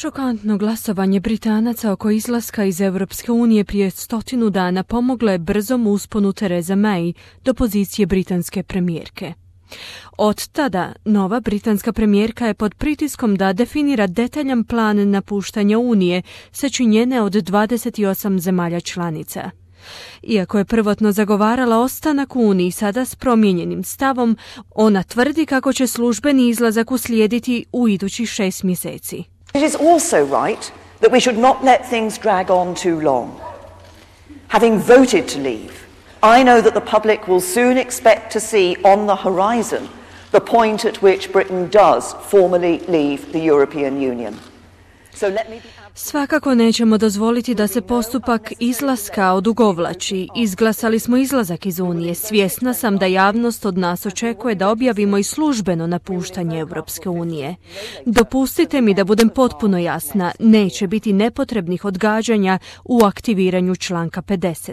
Šokantno glasovanje Britanaca oko izlaska iz Europske unije prije 100 dana pomoglo je brzom usponu Therese May do pozicije britanske premijerke. Od tada nova britanska premijerka je pod pritiskom da definira detaljan plan napuštanja Unije sačinjene od 28 zemalja članica. Iako je prvotno zagovarala ostanak u Uniji, sada s promijenjenim stavom, ona tvrdi kako će službeni izlazak uslijediti u idućih 6 mjeseci. It is also right that we should not let things drag on too long. Having voted to leave, I know that the public will soon expect to see on the horizon the point at which Britain does formally leave the European Union. So let me be... Svakako nećemo dozvoliti da se postupak izlaska odugovlači. Izglasali smo izlazak iz Unije. Svjesna sam da javnost od nas očekuje da objavimo i službeno napuštanje Europske unije. Dopustite mi da budem potpuno jasna, neće biti nepotrebnih odgađanja u aktiviranju članka 50.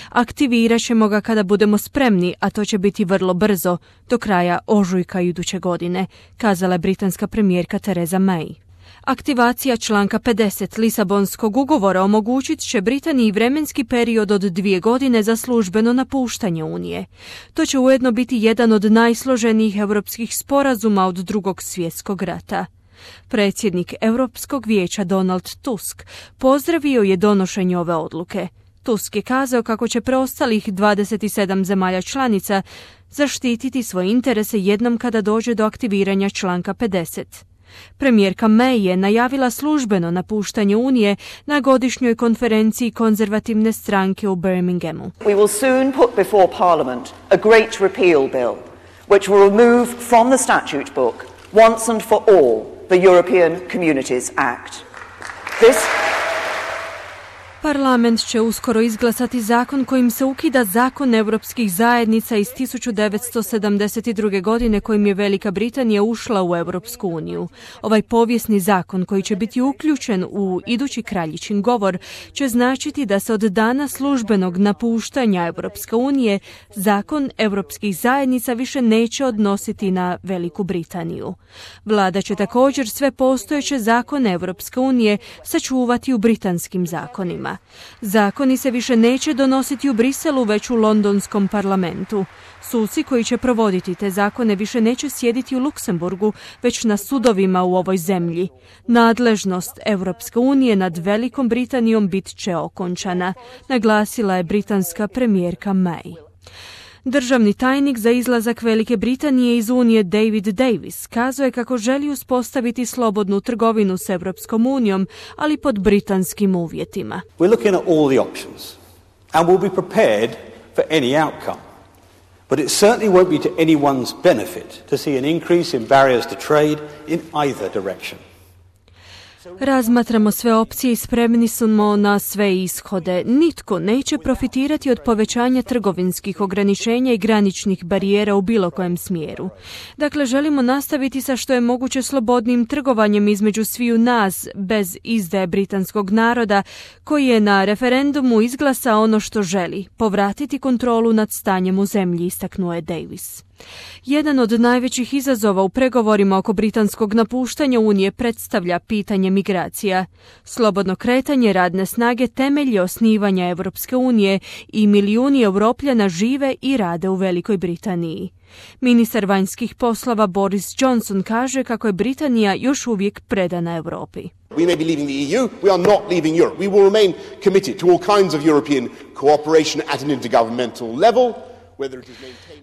Aktivirat ćemo ga kada budemo spremni, a to će biti vrlo brzo, do kraja ožujka iduće godine, kazala je britanska premijerka Theresa May. Aktivacija članka 50 Lisabonskog ugovora omogućit će Britaniji vremenski period od 2 godine za službeno napuštanje Unije. To će ujedno biti jedan od najsloženijih europskih sporazuma od Drugog svjetskog rata. Predsjednik Europskog vijeća Donald Tusk pozdravio je donošenje ove odluke. Tusk je kazao kako će preostalih 27 zemalja članica zaštititi svoje interese jednom kada dođe do aktiviranja članka 50. Premijerka May je najavila službeno napuštanje Unije na godišnjoj konferenciji konzervativne stranke u Birminghamu. We will soon put before Parliament a great repeal bill, which will remove from the statute book, once and for all, the European Communities Act. Parlament će uskoro izglasati zakon kojim se ukida zakon europskih zajednica iz 1972. godine kojim je Velika Britanija ušla u Europsku uniju. Ovaj povijesni zakon koji će biti uključen u idući kraljičin govor će značiti da se od dana službenog napuštanja Europske unije zakon europskih zajednica više neće odnositi na Veliku Britaniju. Vlada će također sve postojeće zakone Europske unije sačuvati u britanskim zakonima. Zakoni se više neće donositi u Briselu, već u londonskom parlamentu. Suci koji će provoditi te zakone više neće sjediti u Luksemburgu, već na sudovima u ovoj zemlji. Nadležnost Europske unije nad Velikom Britanijom bit će okončana, naglasila je britanska premijerka May. Državni tajnik za izlazak Velike Britanije iz Unije David Davis kazao je kako želi uspostaviti slobodnu trgovinu s Europskom unijom, ali pod britanskim uvjetima. We're looking at all the options and we'll be prepared for any outcome. But it certainly won't be to anyone's benefit to see an increase in barriers to trade in either direction. Razmatramo sve opcije i spremni smo na sve ishode. Nitko neće profitirati od povećanja trgovinskih ograničenja i graničnih barijera u bilo kojem smjeru. Dakle, želimo nastaviti sa što je moguće slobodnim trgovanjem između sviju nas, bez izdaje britanskog naroda, koji je na referendumu izglasao ono što želi, povratiti kontrolu nad stanjem u zemlji, istaknuo je Davis. Jedan od najvećih izazova u pregovorima oko britanskog napuštanja Unije predstavlja pitanje migracija. Slobodno kretanje radne snage temelj je osnivanja Europske unije i milijuni Europljana žive i rade u Velikoj Britaniji. Ministar vanjskih poslova Boris Johnson kaže kako je Britanija još uvijek predana Europi. We may be leaving the EU, we are not leaving Europe. We will remain committed to all kinds of European cooperation at an intergovernmental level.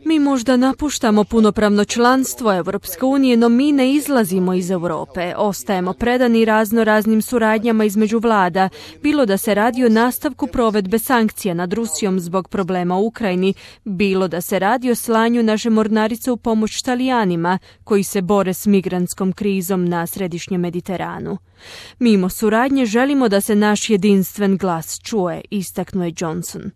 Mi možda napuštamo punopravno članstvo Europske unije, no mi ne izlazimo iz Europe. Ostajemo predani raznim suradnjama između vlada, bilo da se radi o nastavku provedbe sankcija nad Rusijom zbog problema u Ukrajini, bilo da se radi o slanju naše mornarice u pomoć Talijanima koji se bore s migrantskom krizom na središnjem Mediteranu. Mimo suradnje želimo da se naš jedinstven glas čuje, istaknuo je Johnson.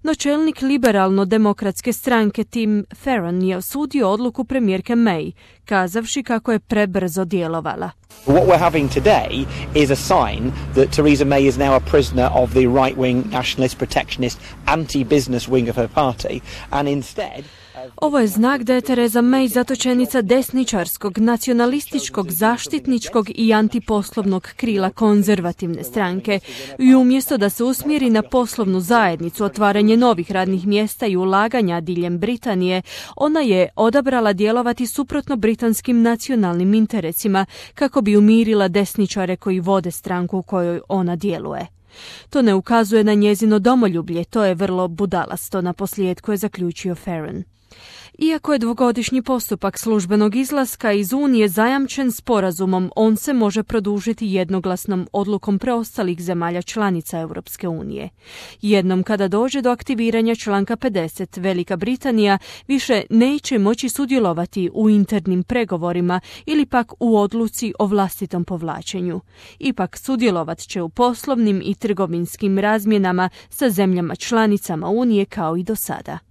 No čelnik liberalno-demokratske stranke Tim Farron je osudio odluku premijerke May, kazavši kako je prebrzo djelovala. What we're having today is a sign that Theresa May is now a prisoner of the right-wing, nationalist, protectionist, anti-business wing of her party, and instead... Ovo je znak da je Theresa May zatočenica desničarskog, nacionalističkog, zaštitničkog i antiposlovnog krila konzervativne stranke. I umjesto da se usmjeri na poslovnu zajednicu, otvaranje novih radnih mjesta i ulaganja diljem Britanije, ona je odabrala djelovati suprotno britanskim nacionalnim interesima kako bi umirila desničare koji vode stranku u kojoj ona djeluje. To ne ukazuje na njezino domoljublje, to je vrlo budalasto, naposljetku je zaključio Farron. Iako je dvogodišnji postupak službenog izlaska iz Unije zajamčen sporazumom, on se može produžiti jednoglasnom odlukom preostalih zemalja članica Europske unije. Jednom kada dođe do aktiviranja članka 50, Velika Britanija više neće moći sudjelovati u internim pregovorima ili pak u odluci o vlastitom povlačenju. Ipak sudjelovat će u poslovnim i trgovinskim razmjenama sa zemljama članicama Unije kao i do sada.